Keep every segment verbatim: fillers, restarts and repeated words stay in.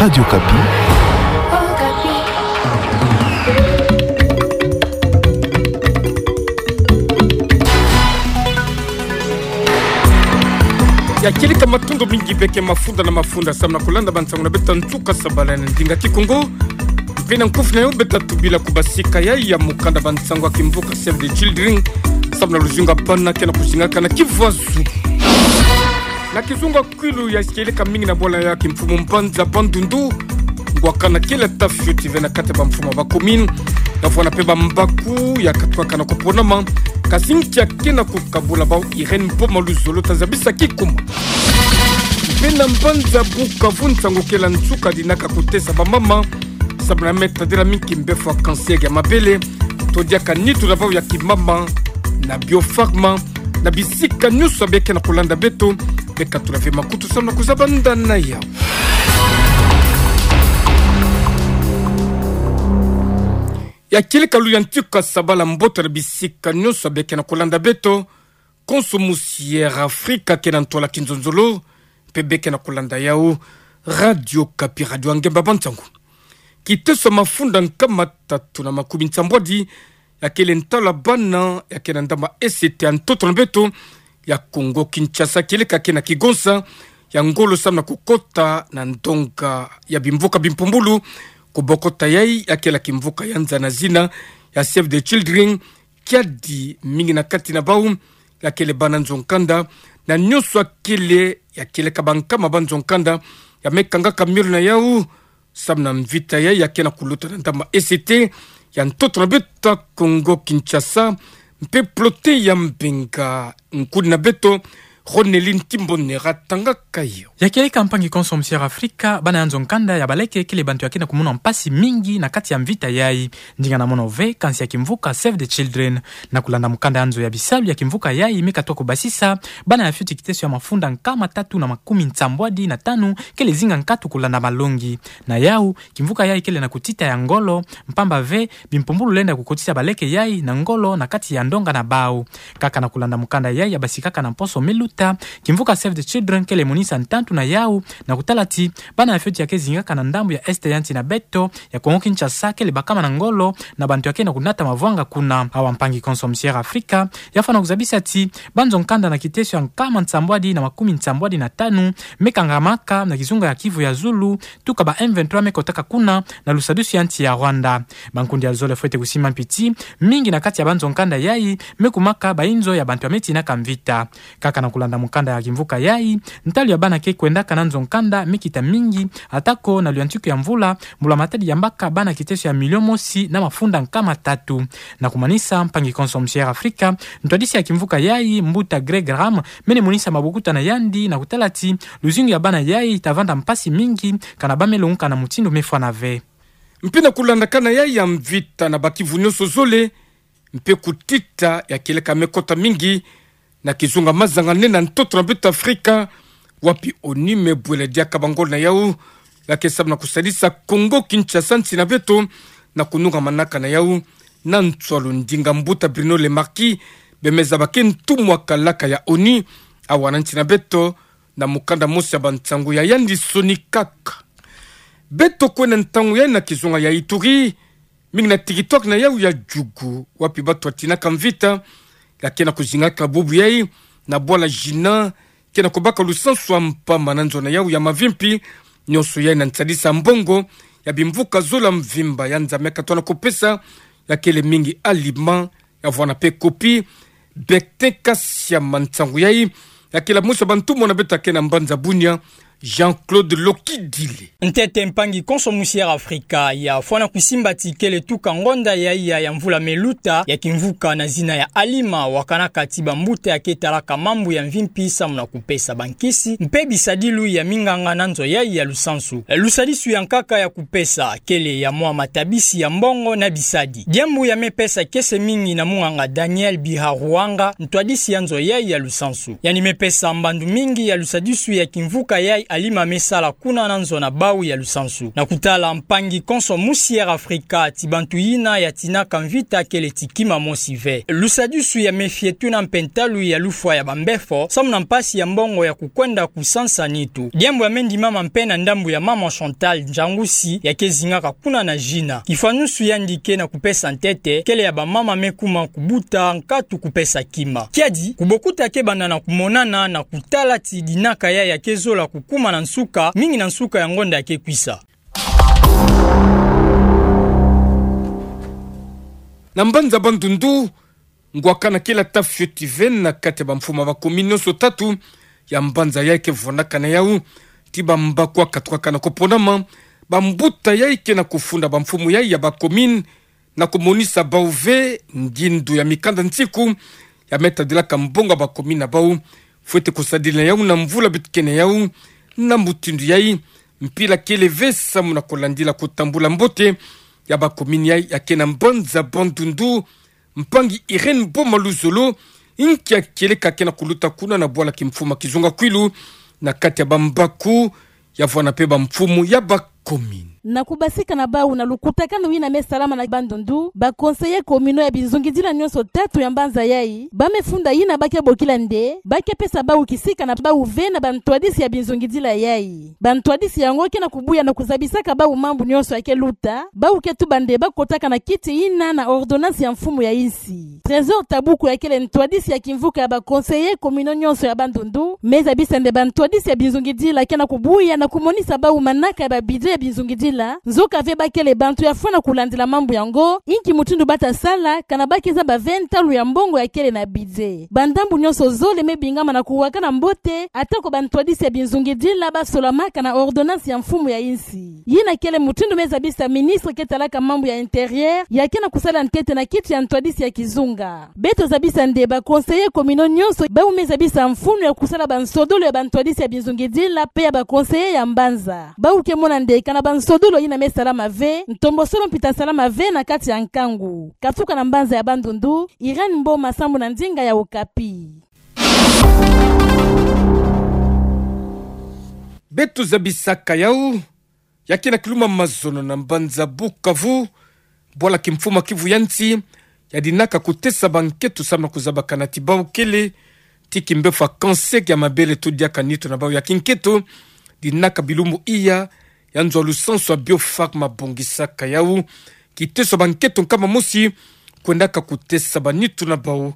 Radio Okapi. Ya kieleka matondo mingi beke mafunda na mafunda samu na kulanda bansangu na beto ya nsuka sabala na ndinga Kikongo. Mpe na nkufi na yo beta tubila kubasika ya, ya mukanda bansangu ya kimvuka Save the Children samu na luzingu ya bana ke na kuzingaka na kivu ya zulu. Na kizunga kwilu ya kieleka mingi na bwala ya kimfumu mbanza Bandundu, ngwakana kele ata fioti ve na kati ya bamfumu ya bacommune, na vwala mpe bambaku ya katwakana kuponama, kasi nkia ke na kukabula bau? Irène Mpoma Luzolo ta zabisa kikuma. Mpe na mbanza Bukavu, nsangu kele ya nsuka dinaka kutesa bamama samu na me tadila mingi mbefo ya cancer ya mabele, to diaka nitu na bau ya kimama na Biopharma, na bisika nyonso beke na kulanda beto, beka tula ve makutu samu na kuzaba ndani ya. Ya kieleka lu ya nsuka sabala, mbote na bisika nyonso beke na kulanda beto. Konso Musière Afrika ke na ntwala kinzonzolo, mpe beke na kulanda yau Radio Okapi, radio ya ngemba bansangu. Kiteso ya mafunda nkama tatu na makumi nsambwadi ya kele ntalu ya bana ya ke na ndambu ya E C T ya ntoto na beto ya Kongo Kinshasa, kieleka ke na kigonsa ya ngolo samu na kukota na ndonga ya bimvuka bimpumbulu. Kubokota yai ya kele ya kimvuka ya nza na zina ya Save the Children, kiadi mingi na kati na bau ya kele bana nzo nkanda, na nyonso ya kele, ya kieleka bankama ba nzo nkanda ya me kangaka miolo na yau samu na mvita yai ya ke na kuluta na ndambu ya E C T ya ntoto na beto ya Kongo Kinshasa. Mpe plote ya Mbenga, nkuni na beto Ronelin Timbonera tangaka yo. Ya kieleka mpangi konso Musière Afrika, bana ya nzo nkanda ya baleke kele bantu ya ke na kumona mpasi mingi na kati ya mvita yai. Ndinga na mono ve kansi ya kimvuka Save the Children. Na kulanda mukanda ya nzo ya bisalu ya kimvuka yai, me katwa kubasisa bana ya fioti kiteso ya mafunda nkama tatu na makumi nsambwadi na tanu kele zinga nkatu kulanda malongi. Na yau, kimvuka yai kele na kutita ya ngolo, mpamba ve bimpumbulu lenda kukotisa baleke yai na ngolo na kati ya ndonga na bau. Kaka na kulanda mukanda yai ya basikaka na mposo me luta, kimvuka Save the Children kele monisa ntantu na yau, na kutala ti bana ya fioti ya ke zingaka na ndambu ya Est ya nsi na beto ya Kongo Kinshasa kele bakama na ngolo na bantu ya ke na kunata mavwanga kuna. Awa mpangi konso Musière Afrika ya fwana kuzabisa ti ba nzo nkanda na kiteso ya nkama nsambwadi na makumi nsambwadi na tanu me kangamaka na kizunga ya Kivu ya zulu, tuka ba M vingt-trois me kotaka kuna na lusadisu ya nsi ya Rwanda. Bankundi ya zole fwete kusimba mpi ti mingi na kati ya ba nzo nkanda yai me kumaka ba inzo ya bantu ya me tinaka mvita. Kaka na kulanda mukanda ya kimvuka yai, ntalu ya bana ke kwendaka na nzo nkanda me kita mingi, atako na luyantiku ya mvula, mbula matadi yambaka bana kiteso ya milio mosi na mafunda nkama tatu. Na kumanisa, mpangi konso Musière Afrika, ntwadisi ya kimvuka yai, mbuta Greg Ram, mene monisa mabokuta na yandi na kutala ti luzingu ya bana yai ta vanda mpasi mingi, kana ba me longuka na mutindu me fwana ve. Mpe na kulandakana yai ya mvita na ba Kivu nyonso zole, mpe kutita ya kieleka me kota mingi na kizunga mazanga nene na ntoto na beto Afrika, wapi ONU me bwela diaka bangolo na yau ya ke samu na kusadisa Kongo Kinshasa, nsi na beto, na kunungamanaka na yau na nswalu ndinga mbuta Bruno Le Marquis, bie me zaba ke ntumwa kalaka ya ONU, awa na nsi na beto, na mukanda mosi ya bansangu ya yandi sonikaka. Beto kwenda ntangu yai na kizunga ya Ituri, mingi na territoire na yau ya Djugu, wapi batu ya tinaka mvita ya ke na kuzingaka bubu yai na bwala Jina, ke na kubaka lusansu ya mpamba na nzo na yau ya Mavimpi, nyonso yai na nsadisa mbongo ya bimvuka zole ya mvimba ya nza me katwa na kupesa, ya kele mingi alima, ya vwana mpe kopi. Bektin Kasiama, nsangu yai ya kele mosi ya bantumwa na beto ya ke na mbanza Bunia, Jean-Claude Lokidile. Ntete mpangi konso Musière Afrika, ya fwana kusimba ti kele tuka ngonda yai ya, ya mvula me luta, ya kimvuka na zina ya Alima, wakanaka ti bambuta ya ke talaka mambu ya mvimpi samu na kupesa bankisi mpe bisadilu ya minganga na nzo yai ya lusansu. Lusadisu ya nkaka ya kupesa kele ya mwa matabisi ya mbongo na bisadi. Diambu ya me pesa kiese mingi na munganga Daniel Biharuanga, ntwadisi ya nzo yai ya lusansu. Yandi me pesa mbandu mingi ya lusadisu ya kimvuka yai alima me sala kuna na nzo na bau ya lusansu. Na kutala mpangi konso musi Air Africa, ti bantu yina ya tinaka mvita kele ti kima mosi ve. Lusadisu ya mefiatu na mpe ntalu ya lufwa ya bambefo, samu na mpasi ya mbongo ya kukwenda kusansa nitu. Diambu ya me ndimama mpe na ndambu ya mama Chantal Njangusi, ya ke zingaka kuna na Gina. Kifwanusu yandi ke na kupesa ntete, kele ya bamama me kuma kubuta nkatu kupesa kima. Kiadi, kubokuta ke banda na kumonana na kutala ti dinaka yayi ya ke zola kukuma na nsuka, mingi na nsuka ya ngonda ya ke kwisa. Na mbanza Bandundu, ngwakana kele ata fioti ve na kati ya bamfumu ya ba commune nyonso tatu ya mbanza yayi ke vwandaka na yawu, ti bambaku ya katukaka na kuponama, bambuta yayi ke na kufunda bamfumu yayi ya ba commune, na kumonisa bau ve ngindu ya mikanda nsiku ya me tadilaka mbongo ya ba commune na bau, fwete kusadila yawu na mvula bitikene yawu, na mutindu yayi, mpila kele ve samu na kulandila kutambula mbote ya ba commune yayi ya ke na mbanza Bandundu, mpangi Irène Boma Luzolo, inki ya kieleka ke na kuluta kuna na bwala kimfumu ya kizunga kwilu, na kati ya bambaku, ya vwanda mpe bamfumu ya ba commune. Na kubasika na bau na lukutakanu yina me salama na Bandundu, ba conseillers communaux ya bizungidila nyonso tatu ya mbanza yayi, ba me funda yina ba ke bokila nde, ba ke pesa bau kisika na bau ve na bantwadisi ya bizungidila yayi. Bantwadisi yango ke na kubuya na kuzabisaka bau mambu nyonso ya ke luta, bau ke tuba nde ba kotaka na kiti yina na ordonnance ya mfumu ya insi. Trésor Tabuku ya kele ntwadisi ya kimvuka ya ba conseillers communaux nyonso ya Bandundu, me zabisa nde bantwadisi ya bizungidila ke na kubuya na kumonisa bau manaka ya ba budget ya bizungidila, nzoka ve ba kele bantu ya fwana kulandila mambu yango, inki mutindu ba ta sala, kana ba ke zaba ve ntalu ya mbongo ya kele na budget. Bandambu nyonso zole me bingama na kuwakana mbote, atako bantwadisi ya bizungidila ba solamaka na ordonnance ya mfumu ya insi. Yina kele mutindu me zabisa ministre ke talaka mambu ya intérieur, ya ke na kusala ntete na kiti ya ntwadisi ya kizunga. Beto zabisa nde ba conseillers communaux nyonso, bau me zabisa mfunu ya kusala bansodolo ya bantwadisi ya bizungidila, mpe ya ba conseillers ya mbanza. Bau ke mona nde kana bansodolo yina me salama ve, ntombo solo mpi ta salama ve na kati ya nkangu. Katuka na mbanza ya Bandundu, Irène Mboma, sambu na ndinga ya Okapi. Beto zabisaka yawu, ya ke na kiluma mazono na mbanza Bukavu, bwala kimfumu ya Kivu ya nsi, ya dinaka kutesa bankento samu na kuzabakana ti bau kele ti kimbefo ya cancer ya mabele to diaka nitu na bau ya kinkento, dinaka bilumbu iya, ya nzo ya lusansu ya Biopharm bongisaka yawu, kiteso ya bankento nkama mosi, kwendaka kutesa banitu na bau,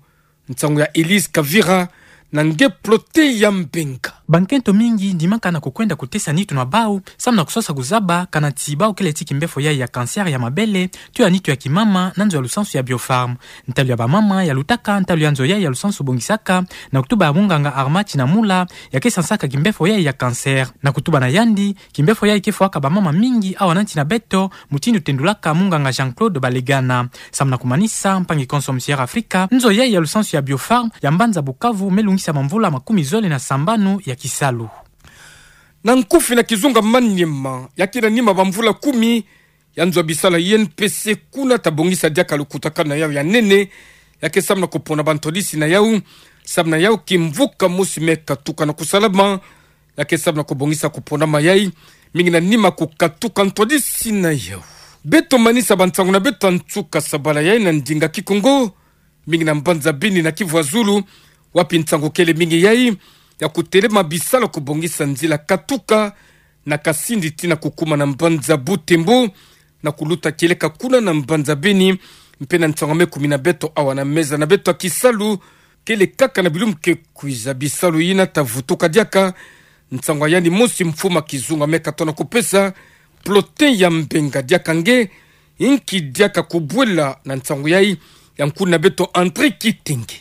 nsangu ya Elise Kavira, na nge Plotin ya Mbenga. Bankento mingi ndimaka na kukwenda kutesa nitu na bau, samu na kusosa kuzaba, kana ti bau kele ti kimbefo yayi ya cancer ya mabele, to ya nitu ya kimama, na nzo ya lusansu ya Biopharm. Ntalu ya bamama, ya lutaka, ntalu ya nzo yayi ya lusansu bongisaka, na kutuba ya munganga Armand Tinamula, ya ke sansaka kimbefo yayi ya cancer. Na kutuba na yandi, kimbefo yayi ke fwaka bamama mingi awa na nsi na beto, mutindu tendulaka munganga Jean-Claude Balegana. Samu na kumanisa, mpangi konso musi Air Africa, nzo yayi ya lusansu ya Biopharm, ya mbanza Bukavu, me lungisa mamvula makumi zole na sambanu ya kisalu. Na nkufi na kizunga Maniema, ya ke na nima bamvula kumi, ya nzo ya bisalu ya I N P C kuna ta bongisa diaka lukutakanu na yawu ya nene, ya ke samu na kupona bantwadisi na yawu, samu na yawu kimvuka mosi me katuka na kusalama, ya ke samu na kubongisa kuponama yayi, mingi na nima kukatuka ntwadisi na yawu. Beto manisa bansangu na beto ya nsuka sabala yayi na ndinga Kikongo, mingi na mbanza Beni na Kivu ya Zulu, wapi nsangu kele mingi yayi, ya kutelema bisalu ya kubongisa nzila katuka na Kasindi tii na kukuma na mbanza Butembo, na kuluta kieleka kuna na mbanza Beni, mpe na nsangu ya me kumi na beto awa na meza na beto ya kisalu, kele kaka na bilumbu ke kwiza bisalu yina ta vutuka diaka, nsangu ya yandi mosi mfumu ya kizunga me katono kupesa, Plotin ya Mbenga diaka nge, inki diaka kubwela na nsangu yayi, ya nkuna beto André Kitenge.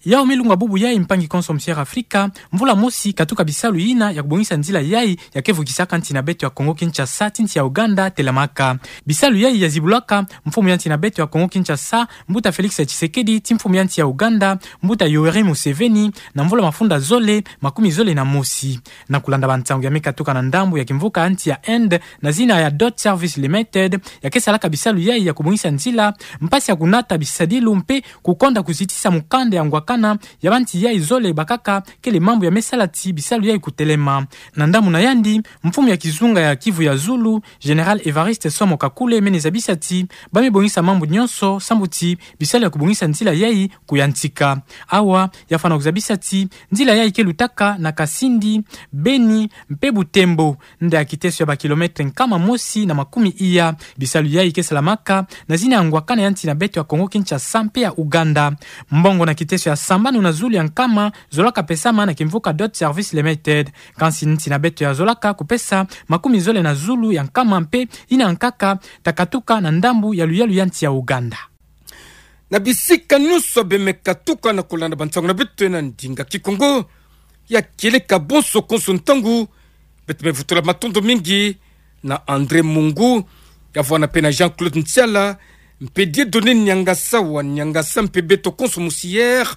Yawu me lunga bubu yayi mpangi konso musi Air Africa, mvula mosi katuka bisalu yina ya kubongisa nzila yayi ya ke vukisaka nsi na beto ya Congo Kinshasa tii nsi ya Ouganda telamaka. Bisalu yayi ya zibulaka mfumu ya nsi na beto ya Congo Kinshasa, mbuta Félix Tshisekedi, tii mfumu ya nsi ya Ouganda, mbuta Yoweri Museveni, na mvula mafunda zole, makumi zole na mosi. Na kulanda bansangu ya me katuka na ndambu ya kimvuka ya nsi ya Inde, na zina ya Dot Service Limited, ya ke salaka bisalu yayi ya kubongisa nzila, mpasi ya kunata bisadilu mpe kukonda kuzitisa mukanda ya ngwaka na ya banti yai zole bakaka kele mambu ya me sala ti bisalu yai kutelema. Na ndambu na yandi, mfumu ya kizunga ya Kivu ya Zulu, Général Évariste Somo Kakule, mene zabisa ti ba me bongisa mambu nyonso sambu ti bisalu ya kubongisa nzila yai kuyantika. Awa, ya fana kuzabisa ti nzila yai ke lutaka na Kasindi, Beni, mpe Butembo, nda ya kiteso ya ba kilomètre nkama mosi na makumi iya. Bisalu yai ke salamaka na zina ya ngwakana ya nsi na beto ya Congo-Kinshasa mpe ya Ouganda. Mbongo na kiteso ya sambanu na zulu ya nkama zolaka pesama na kimvuka Dot Service Limited. Kansi nsi na beto ya zolaka kupesa makumi zole na zulu ya nkama mpe yina nkaka ta katuka na ndambu ya luyalu ya nsi ya Ouganda. Na bisika nyonso beno me katuka na kulanda bansangu na beto na ndinga Kikongo ya kieleka, bonso konso ntangu, beto me vutula matondo mingi na André Mungu, ya vwanda mpe na Jean-Claude Ntiala, mpe Dieudonné Niangasa wa Niangasa, mpe beto konso musière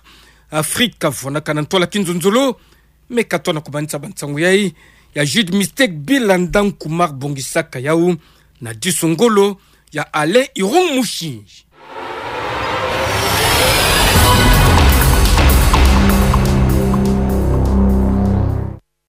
Afrika vwanaka na ntwala kinzonzolo, me katona kumanisa bansangu yai, ya Jude Mistake Bilanda Nkumar bongisaka yau, na disu ngolo ya Alain Irung Mushinji.